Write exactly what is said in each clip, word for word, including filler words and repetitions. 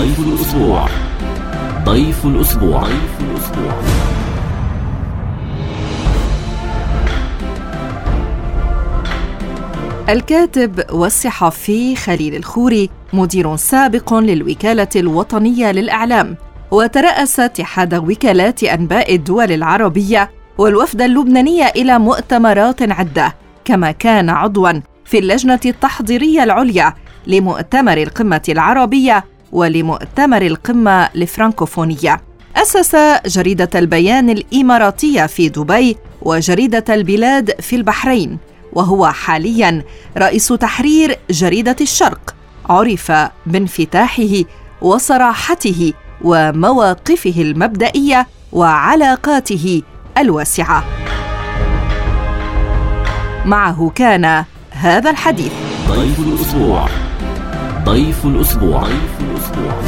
ضيف الأسبوع. ضيف الأسبوع. ضيف الأسبوع. الكاتب والصحفي خليل الخوري مدير سابق للوكالة الوطنية للإعلام، وترأس اتحاد وكالات أنباء الدول العربية والوفد اللبناني إلى مؤتمرات عدة، كما كان عضواً في اللجنة التحضيرية العليا لمؤتمر القمة العربية ولمؤتمر القمة الفرنكوفونية. أسس جريدة البيان الإماراتية في دبي وجريدة البلاد في البحرين، وهو حالياً رئيس تحرير جريدة الشرق، عرف بانفتاحه وصراحته ومواقفه المبدئية وعلاقاته الواسعة. معه كان هذا الحديث. ضيف الأسبوع. ضيف الأسبوع. ضيف الأسبوع.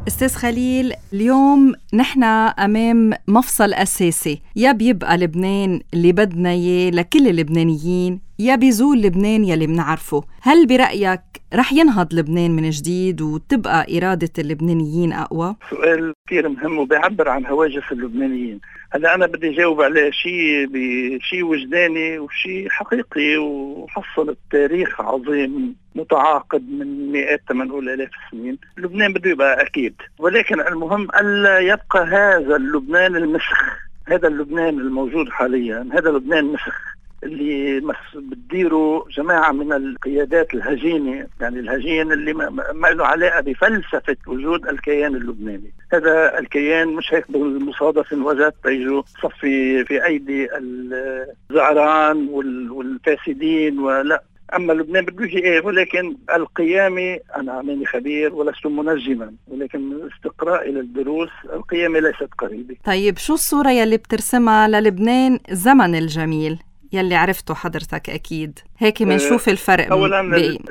أستاذ خليل، اليوم نحن أمام مفصل أساسي، يا بيبقى لبنان اللي بدنا إياه لكل اللبنانيين، يا بيزول لبنان يلي منعرفه. هل برأيك رح ينهض لبنان من جديد وتبقى إرادة اللبنانيين أقوى؟ سؤال كثير مهم وبيعبر عن هواجس اللبنانيين. هلا أنا بدي جاوب عليه شيء بشيء وجداني وشيء حقيقي وحصل التاريخ عظيم متعاقد من مئات تمنقول آلاف السنين. لبنان بده يبقى أكيد، ولكن المهم ألا يبقى هذا اللبنان المسخ، هذا اللبنان الموجود حاليا، هذا لبنان مسخ اللي بتديره جماعة من القيادات الهجينة، يعني الهجين اللي ما له علاقة بفلسفة وجود الكيان اللبناني. هذا الكيان مش هيك بالمصادف وجد تيجوا صفي في أيدي الزعران والفاسدين ولا. أما لبنان بده يجي إيه، ولكن القيامة، أنا ماني خبير ولست منجما، ولكن من استقراء إلى الدروس القيامة ليست قريبة. طيب شو الصورة يلي بترسمها للبنان زمن الجميل يلي عرفته حضرتك أكيد؟ هيك منشوف الفرق. أولا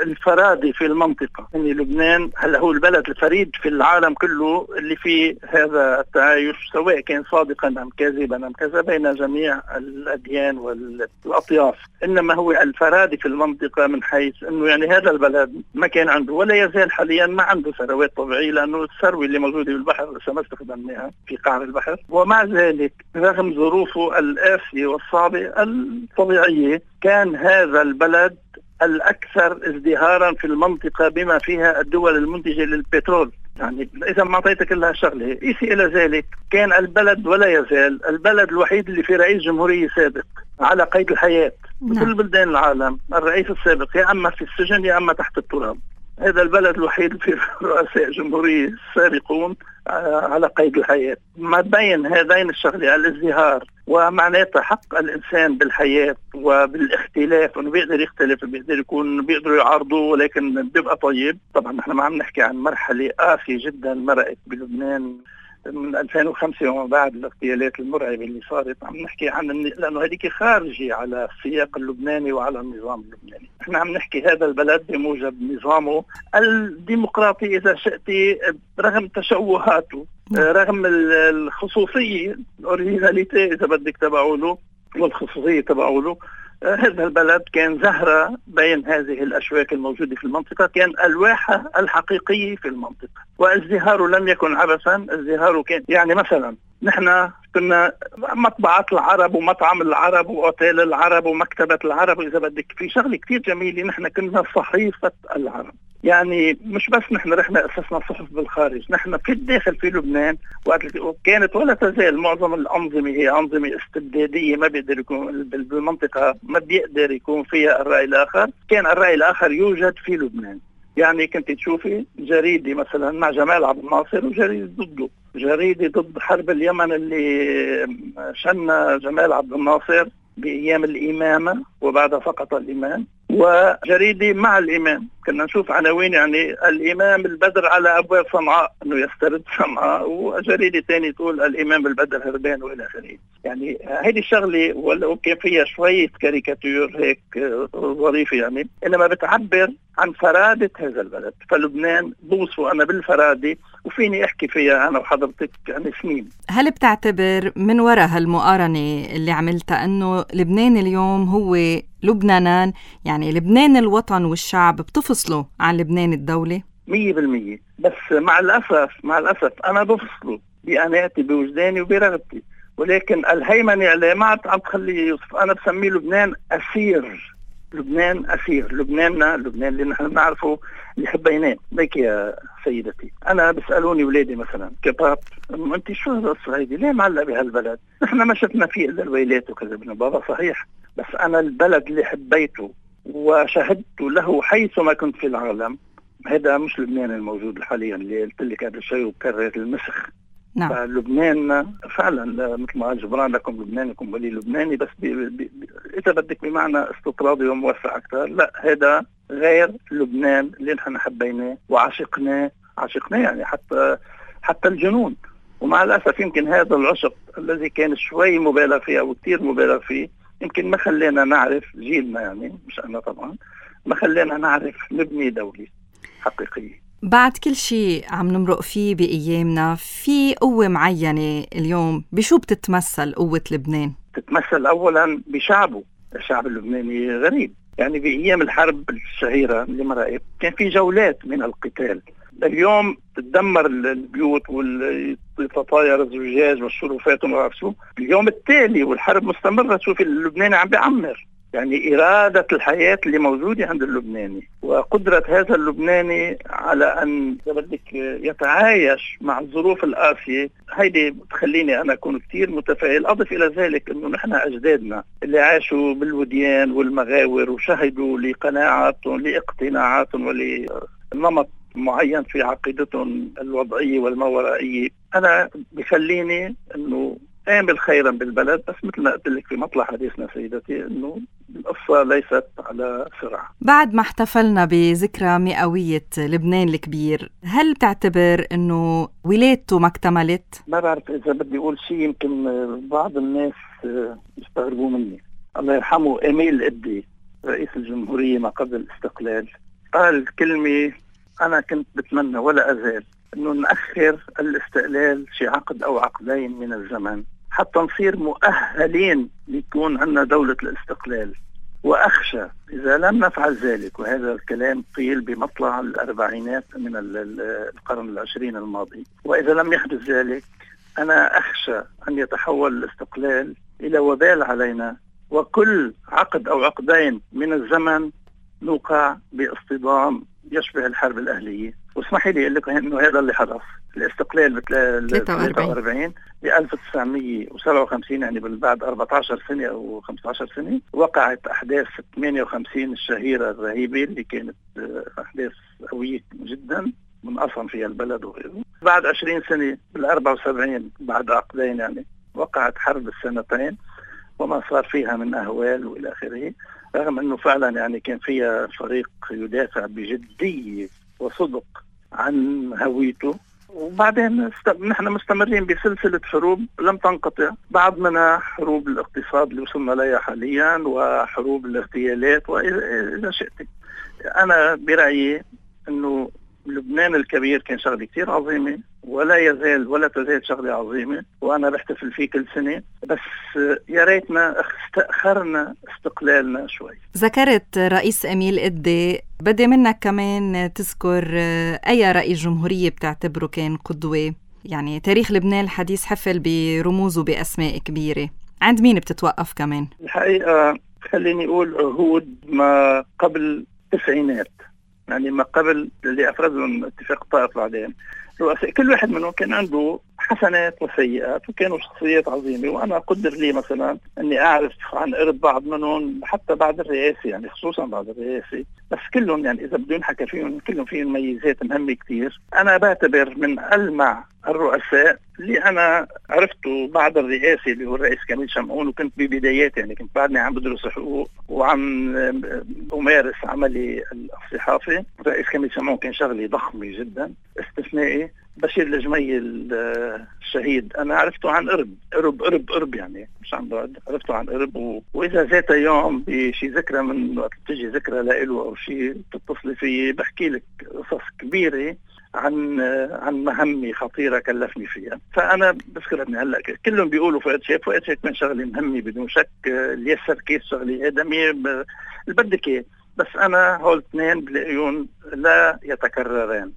الفرادي في المنطقة، يعني لبنان هلا هو البلد الفريد في العالم كله اللي فيه هذا التعايش، سواء كان صادقا أم كاذبا أم كذا، بين جميع الأديان والأطياف. إنما هو الفرادي في المنطقة من حيث أنه يعني هذا البلد ما كان عنده ولا يزال حاليا ما عنده ثروات طبيعية، لأنه الثروة اللي موجودة بالبحر لسه ما استخدمناها في قعر البحر. ومع ذلك رغم ظروفه القاسية والصعبة الطبيعية كان هذا البلد الأكثر ازدهارا في المنطقة بما فيها الدول المنتجة للبترول. يعني إذا ما أعطيتك كلها شغلة قيسي إلى ذلك، كان البلد ولا يزال البلد الوحيد اللي في رئيس جمهورية سابق على قيد الحياة. بكل بلدان العالم الرئيس السابق يا أما في السجن يا أما تحت التراب. هذا البلد الوحيد في رؤساء جمهورية سابقون على قيد الحياة. ما بين هذين الشغلة الازدهار ومعناتها حق الإنسان بالحياة وبالاختلاف، أنه بيقدر يختلف، بيقدر يكون بيقدروا يعارضوا ولكن بيبقى طيب. طبعا نحن ما عم نحكي عن مرحلة قاسية جدا مرقت بلبنان من ألفين وخمسة وما بعد الاغتيالات المرعبة اللي صارت. عم نحكي عن لأنه هذيك خارجي على السياق اللبناني وعلى النظام اللبناني. احنا عم نحكي هذا البلد بموجب نظامه الديمقراطي إذا شئتي، رغم تشوهاته، رغم الخصوصية الأوريجيناليتي إذا بدك تبعوله والخصوصية تبعوله. هذا البلد كان زهرة بين هذه الأشواك الموجودة في المنطقة، كان الواحة الحقيقية في المنطقة، وازدهاره لم يكن عبثا. ازدهاره كان يعني مثلا نحن كنا مطبعة العرب ومطعم العرب وأوتيل العرب ومكتبة العرب، وإذا بدك في شغلة كتير جميلة، نحن كنا صحيفة العرب. يعني مش بس نحن رحنا أسسنا صحف بالخارج، نحن في الداخل في لبنان وكانت ولا تزال معظم الأنظمة هي أنظمة استبدادية، ما بيقدر يكون بالمنطقة، ما بيقدر يكون فيها الرأي الآخر. كان الرأي الآخر يوجد في لبنان. يعني كنت تشوفي جريدة مثلا مع جمال عبد الناصر وجريدة ضده، جريدة ضد حرب اليمن اللي شن جمال عبد الناصر بأيام الإمامة وبعدها فقط الإمام، وجريدة مع الإمام. كنا نشوف عناوين يعني الإمام البدر على أبواب صنعاء أنه يسترد صنعاء، وجريدة تاني تقول الإمام البدر هربان وإلى آخره. يعني هذه الشغلة ولو كان فيها شوية كاريكاتير هيك ظريفة يعني، إنما بتعبر عن فرادة هذا البلد. فلبنان بوصفه أنا بالفرادة وفيني أحكي فيها أنا وحضرتك يعني سنين. هل بتعتبر من وراء هالمقارنة اللي عملتها أنه لبنان اليوم هو لبنانان، يعني لبنان الوطن والشعب بتفصلوا عن لبنان الدولة؟ مية بالمية. بس مع الأسف مع الأسف أنا بفصله بقناعتي بوجداني وبرغبتي، ولكن الهيمنة عليه ما عم تخليه يوصف. أنا بسميه لبنان أسير. لبنان أسير. لبناننا، لبنان اللي نحن بنعرفه اللي حبيناه. ليك يا سيدتي، أنا بسألوني ولادي مثلا كباب، أنت شو هالقصة هيدي؟ ليه معلق بهالبلد؟ نحن ما شفنا فيه إلا الويلات وكذا. ابن بابا صحيح، بس أنا البلد اللي حبيته وشهدت له حيثما كنت في العالم، هذا مش لبنان الموجود حاليا اللي قلت لك قبل شوي وكرر المسخ. نعم. فلبنان فعلا مثل ما قال جبران، لكم لبنانكم ولي لبناني، بس بي بي بي اذا بدك بمعنى استطرادي وموسع اكثر. لا، هذا غير لبنان اللي نحن حبيناه وعشقناه. عشقناه يعني حتى حتى الجنون. ومع الاسف يمكن هذا العشق الذي كان شوي مبالغ فيه او كثير مبالغ فيه، يمكن ما خلينا نعرف، جيلنا يعني مش انا طبعا، ما خلينا نعرف نبني دولة حقيقية. بعد كل شيء عم نمرق فيه بأيامنا، في قوة معينة اليوم بشو بتتمثل قوة لبنان؟ تتمثل أولا بشعبه. الشعب اللبناني غريب، يعني بأيام الحرب الشهيرة اللي مرقت كان في جولات من القتال. اليوم تدمر البيوت والتطاير الزجاج والشرفات وما شو. اليوم التالي والحرب مستمرة، شوف اللبناني عم بيعمر. يعني إرادة الحياة اللي موجودة عند اللبناني وقدرة هذا اللبناني على أن بدك يتعايش مع الظروف القاسية، هيدي بتخليني أنا أكون كتير متفائل. أضف إلى ذلك أنه نحن أجدادنا اللي عاشوا بالوديان والمغاور وشهدوا لقناعاتهم لاقتناعاتهم ولنمط معين في عقيدتهم الوضعية والماورائية، أنا بخليني أنه آمل خيرا بالبلد. بس مثل ما قلت لك في مطلع حديثنا سيدتي، انه القصة ليست على سرعة. بعد ما احتفلنا بذكرى مئوية لبنان الكبير، هل بتعتبر انه ولادته ما اكتملت؟ ما بعرف اذا بدي اقول شيء، يمكن بعض الناس يستغربوا مني. الله يرحمه إميل إدي رئيس الجمهورية ما قبل الاستقلال قال كلمة انا كنت بتمنى ولا ازال، انه نأخر الاستقلال شي عقد او عقدين من الزمن حتى نصير مؤهلين ليكون عندنا دولة الاستقلال. وأخشى إذا لم نفعل ذلك، وهذا الكلام قيل بمطلع الأربعينات من القرن العشرين الماضي، وإذا لم يحدث ذلك أنا أخشى أن يتحول الاستقلال إلى وبال علينا، وكل عقد أو عقدين من الزمن نوقع باصطدام يشبه الحرب الأهلية. واسمحي لي أقول لك إنه هذا اللي حدث. الاستقلال بال ثلاثة وأربعين ب ألف وتسعمية وسبعة وخمسين، يعني بعد أربعة عشر سنة أو خمسة عشر سنة، وقعت أحداث ثمانية وخمسين الشهيرة الرهيبة اللي كانت أحداث قوية جدا منقسم فيها البلد وغيره. بعد عشرين سنة بال أربعة وسبعين بعد عقدين يعني وقعت حرب السنتين وما صار فيها من أهوال وإلى آخره، رغم أنه فعلا يعني كان فيها فريق يدافع بجدية وصدق عن هويته. وبعدين نحن مستمرين بسلسلة حروب لم تنقطع، بعد منها حروب الاقتصاد اللي وصلنا لها حاليا وحروب الاغتيالات وإذا شئت. أنا برأيي أنه لبنان الكبير كان شغلة كتير عظيمة ولا يزال ولا تزال شغلة عظيمة، وأنا بحتفل فيه كل سنة، بس يا ريتنا استأخرنا استقلالنا شوي. ذكرت رئيس إميل إدي، بدي منك كمان تذكر أي رئيس جمهورية بتعتبره كان قدوة؟ يعني تاريخ لبنان الحديث حفل برموز وبأسماء كبيرة، عند مين بتتوقف كمان؟ الحقيقة خليني أقول عهود ما قبل التسعينات، يعني ما قبل اللي أفرزهم اتفاق الطائف بعدين. كل واحد منهم كان عنده حسنات وسيئات وكانوا شخصيات عظيمة، وأنا أقدر لي مثلا أني أعرف عن قرب بعض منهم حتى بعد الرئاسة، يعني خصوصا بعد الرئاسة، بس كلهم يعني إذا بدون حكى فيهم كلهم فيهم ميزات مهمة كتير. أنا بعتبر من ألمع الرؤساء اللي أنا عرفته بعد الرئاسة اللي هو الرئيس كميل شمعون، وكنت ببدايات يعني كنت بعدني عم بدرس حقوق وعم أمارس عملي الصحافي. الرئيس كميل شمعون كان شغلي ضخمة جدا استثنائي. بشير الجميل الشهيد أنا عرفته عن قرب قرب قرب قرب يعني مش عن بعد، عرفته عن قرب و... وإذا ذات يوم بشي ذكرى من وقت تجي ذكرى لإله أو شيء تتصلي فيه بحكي لك قصص كبيرة عن عن مهمة خطيرة كلفني فيها. فأنا بذكر ابني هلا كلهم بيقولوا فؤاد شاكر، فؤاد شاكر كان شغلة مهمة بدون شك، اليسر كيس شغلة آدمية اللي بدك إياه، بس أنا هول اثنين بلاقيهم لا يتكرران.